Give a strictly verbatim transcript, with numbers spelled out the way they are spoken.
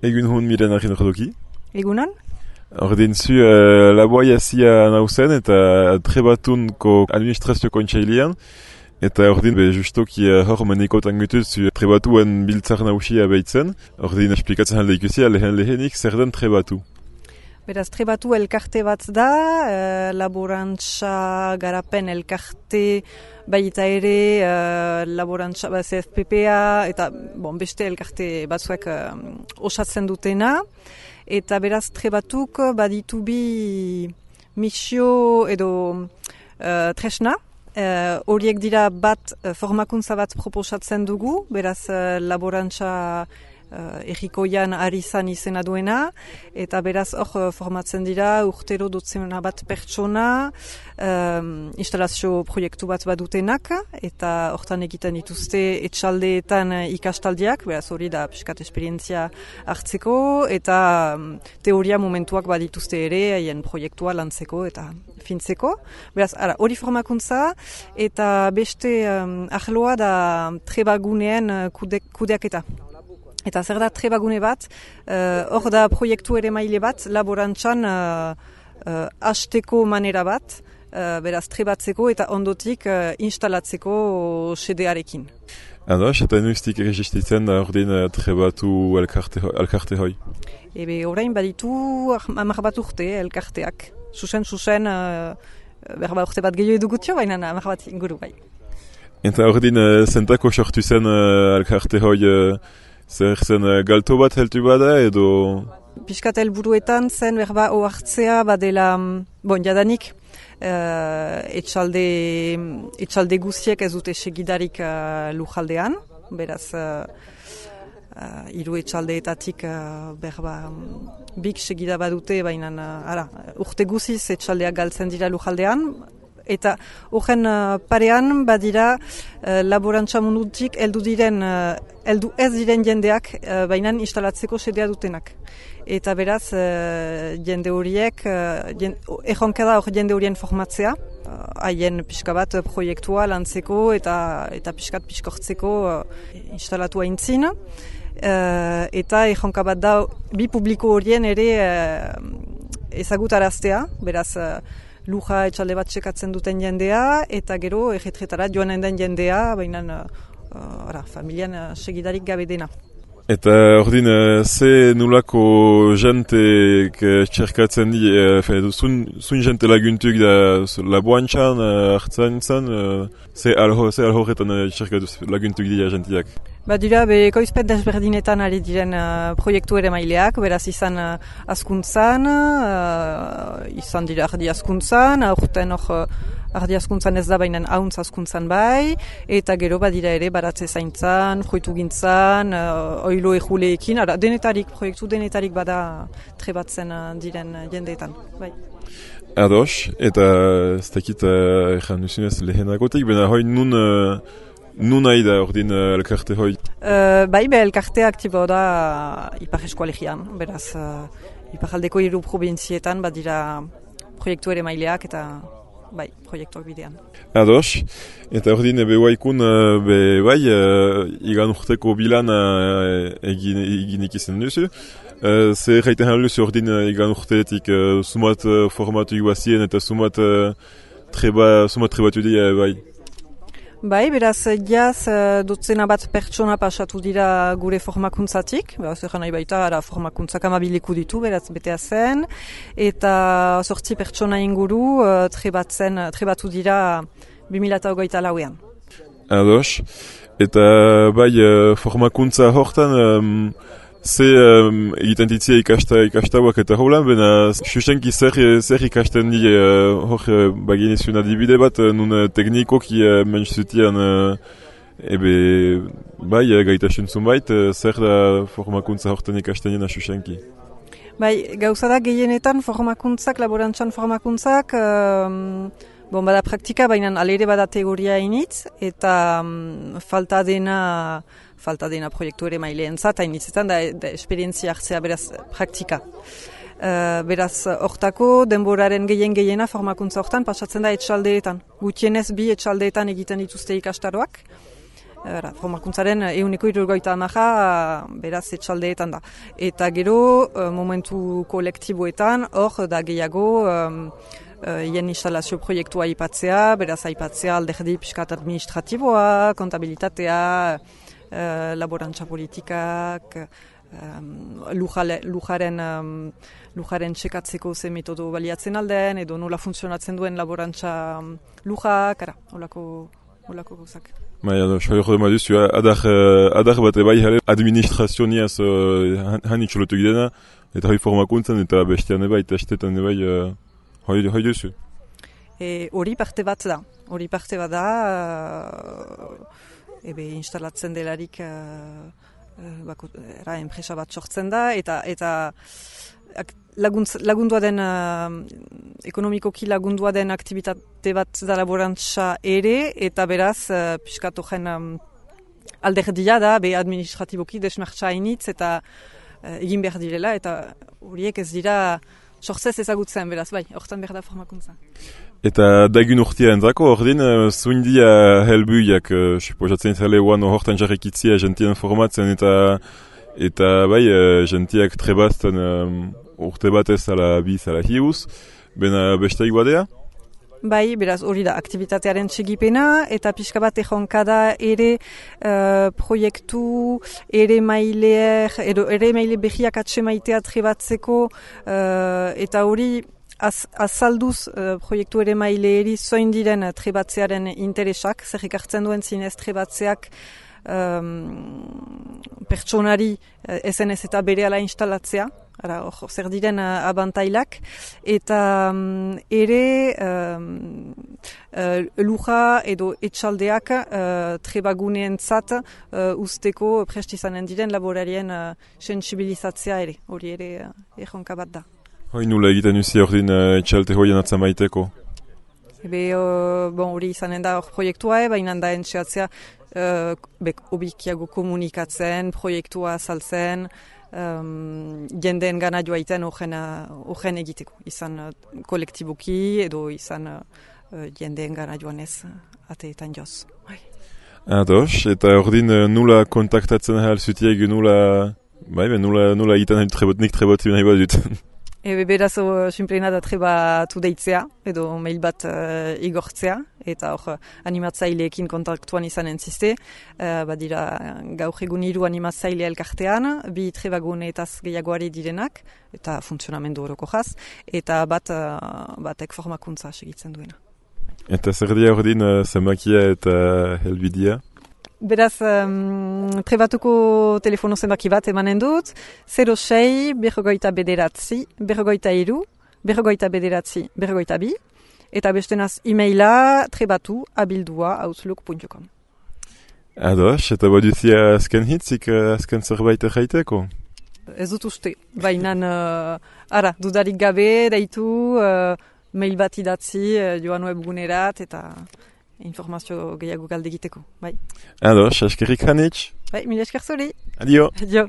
Egun hon miren argin ordoki. Egunon? Ordin zu uh, laboa zia nauzen eta trebatunko administrazio kontseilean. Eta ordin be justoki uh, hor menikotan gutuz zu trebatuen biltzar nausia behitzen. Ordin esplikatzen halde ikusi lehen lehenik zer den trebatu. Beraz, trebatu elkarte bat da, uh, laborantza garapen elkarte baita ere, uh, laborantza ba, C F P P A eta bon, beste elkarte batzuek uh, osatzen dutena. Eta beraz, trebatuk baditu bi misio edo uh, tresna. Horiek uh, dira bat uh, formakuntza bat proposatzen dugu, beraz uh, laborantza Uh, errikoian ari zan izena duena, eta beraz hor uh, formatzen dira urtero dotzena bat pertsona, um, instalazio proiektu bat badutenak, eta hortan egiten dituzte etxaldeetan ikastaldiak, beraz hori da piskat esperientzia hartzeko, eta um, teoria momentuak badituzte ere, haien proiektua lantzeko eta fintzeko. Beraz, ara, hori formakuntza, eta beste um, ahloa da trebaguneen kude, kudeaketa. Eta zer da trebagune bat, hor uh, da proiektu ere maile bat, laborantzan uh, uh, hasteko manera bat, uh, beraz trebatzeko eta ondotik uh, instalatzeko sedearekin. Ados, eta nuiztik erregistritzen da ordin uh, trebatu elkarte, elkarte hoi? Ebe, orain baditu hamar bat urte elkarteak. Susen, susen, uh, berba urte bat gehiago edugutio, baina hamar bat inguru bai. Eta ordin uh, zentako sortu zen uh, elkarte hoi... Uh, Zer zen galto bat heltu bada edo... Piskat helburuetan zen berba ohartzea badela, bon, jadanik, uh, etxalde, etxalde guziek ez dute segidarik uh, lujaldean, beraz, uh, uh, hiru etxaldeetatik uh, berba bik segida badute, baina uh, ara, urte guziz etxaldeak galtzen dira lujaldean, eta horren uh, parean badira uh, laborantza mundutik heldu diren, uh, heldu ez diren jendeak, uh, baina instalatzeko sedea dutenak. Eta beraz, uh, jende horiek, uh, erronka da hor jende horien formatzea, haien uh, pixka bat uh, proiektua lantzeko eta eta pixkat pixkortzeko uh, instalatu haintzin. Uh, eta erronka bat da bi publiko horien ere uh, ezagutaraztea, beraz, uh, luja etxalde bat txekatzen duten jendea, eta gero erretretara joanen den jendea, baina uh, ara, familian uh, segidarik gabe dena. Eta ordin, uh, ze nulako jentek uh, txerkatzen di, uh, zun, zun jente laguntuk da laboantxan uh, hartzen zen, uh, ze alhorretan uh, txerkatu laguntuk dira jentiak? Ba dira, be, ekoizpen desberdinetan ari diren uh, proiektu ere maileak, beraz izan uh, askuntzan, uh, izan dira ardi askuntzan, aurten hor uh, ardi askuntzan ez da baina hauntz askuntzan bai, eta gero badira ere baratze zaintzan, joitu gintzan, uh, oilo ejuleekin, ara, denetarik, proiektu denetarik bada trebatzen uh, diren jendeetan, bai. Ados, eta ez dakit uh, erran duzunez lehenagotik, bena hoi nun... Uh, Nun nahi da ordin uh, elkarte hoi? Uh, bai, be, elkartea aktibo da uh, Ipar Eskualegian. Beraz, uh, Iparaldeko hiru provintzietan badira proiektu ere maileak eta bai, proiektuak bidean. Ados, eta ordin ebe waikun uh, be, bai, uh, igan urteko bilan uh, egin, egin ikizen duzu. Uh, Ze gaiten haluzu ordin uh, igan urteetik uh, sumat uh, formatu iguazien eta sumat uh, treba, sumat trebatu dira bai. Bai, beraz, jaz, dotzena bat pertsona pasatu dira gure formakuntzatik, beraz, egan nahi baita, ara, formakuntzak amabiliku ditu, beraz, betea zen, eta sortzi pertsona inguru trebatzen, trebatu dira bi mila hogeita lauean. Ados, eta bai, formakuntza hortan, um, ze um, egiten ditzia ikasta, ikastauak eta holan, bena susenki zer, zer ikasten di uh, hor uh, baginezun adibide bat, uh, nun uh, teknikoki uh, mentzutian uh, ebe bai, uh, gaitasun zunbait, uh, zer da formakuntza hortan ikasten jena susenki? Bai, gauza da gehienetan formakuntzak, laborantzan formakuntzak, um, bon, bada praktika, baina alere bada teoria initz, eta um, falta dena falta dena proiektu ere maileen zat, hainitzetan da, da esperientzia hartzea beraz praktika. Uh, beraz, hortako denboraren gehien gehiena formakuntza hortan pasatzen da etxaldeetan. Gutienez bi etxaldeetan egiten dituzte ikastaroak. Era, formakuntzaren ehuneko hirurogeita hamara beraz etxaldeetan da. Eta gero momentu kolektiboetan hor da gehiago hien instalazio proiektua aipatzea, beraz aipatzea alderdi pixkat administratiboa, kontabilitatea, laborantza politikak, lujaren lujaren txekatzeko ze metodo baliatzen alden, edo nola funtzionatzen duen laborantza lujak, ara, olako, olako gauzak. Bai, edo, soa jode duzu, adar, adar bat ebai jale administrazioniaz han itxolotu gidena, eta hoi formakuntzan eta bestean ebai, testetan ebai, hoi, hoi duzu. Hori parte bat da, hori parte bat da, ebe instalatzen delarik bako, era, enpresa bat sortzen da, eta, eta laguntz, lagundua den, uh, ekonomikoki lagundua den aktivitate bat da laborantza ere, eta beraz, uh, pixkatu gen um, alderdia da, be administratiboki desmartza hainitz, eta uh, egin behar direla, eta horiek ez dira sortzez ezagutzen, beraz, bai, hortan behar da formakuntza. Eta dagun urtia entzako, ordin, uh, zuindia helbuiak, uh, suposatzen zale oan hortan jarrekitzia gentien formatzen, eta eta bai, uh, gentiak trebazten um, urte batez ala biz ala hiuz, bena besteik badea? Bai, beraz hori da, aktivitatearen txegipena, eta pixka bat ejonkada ere uh, proiektu, ere maileer, edo ere maile behiak atxe maitea trebatzeko, uh, eta hori az, azalduz uh, proiektu ere maileeri zoin diren trebatzearen interesak, zer ekartzen duen zinez trebatzeak um, pertsonari uh, ezen ez eta bere ala instalatzea, Ara, or, zer diren uh, abantailak, eta um, ere um, uh, luja edo etxaldeak uh, trebaguneen zat uh, usteko prestizanen diren laborarien uh, sensibilizatzea ere, hori ere uh, erronka bat da. Hoi nula egiten uzi hor din uh, etxalte hoien atzamaiteko? Ebe, uh, bon, hori izanen da hor proiektua, e, baina da entxeatzea uh, obikiago komunikatzen, proiektua azaltzen, Um, jendeen gana joaiten horren egiteko, izan uh, kolektiboki edo izan uh, jendeen gana joanez uh, ateetan joz. Ados, eta ordin uh, nula kontaktatzen ahal zutiek nula, bai, nula, nula egiten nahi trebot, nik treboti nahi bat dut. Ebe beraz, uh, simplena da trebatu deitzea, edo mail bat uh, igortzea, eta hor animatzaileekin kontaktuan izan entziste, uh, badira gaur egun hiru animatzaile elkartean, bi trebaguneetaz gehiagoari direnak, eta funtzionamendu horoko jaz, eta bat uh, batek formakuntza segitzen duena. Eta zer dia ordin uh, zenbakia eta helbidea? Beraz, um, trebatuko telefono zenbaki bat emanen dut, zero sei, berrogoita bederatzi, berrogoita iru, berrogoita bederatzi, berrogoita bi, eta bestenaz e-maila trebatu abildua outlook puntu com. Ados, eta baduzia azken hitzik, azken zerbait erraiteko? Ez dut uste, baina uh, ara, dudarik gabe, daitu, uh, mail bat idatzi, uh, joan webgunerat, eta informazio gehiago galde egiteko, bai. Ados, askerrik hanitz. Bai, mila esker zuri. Adio. Adio.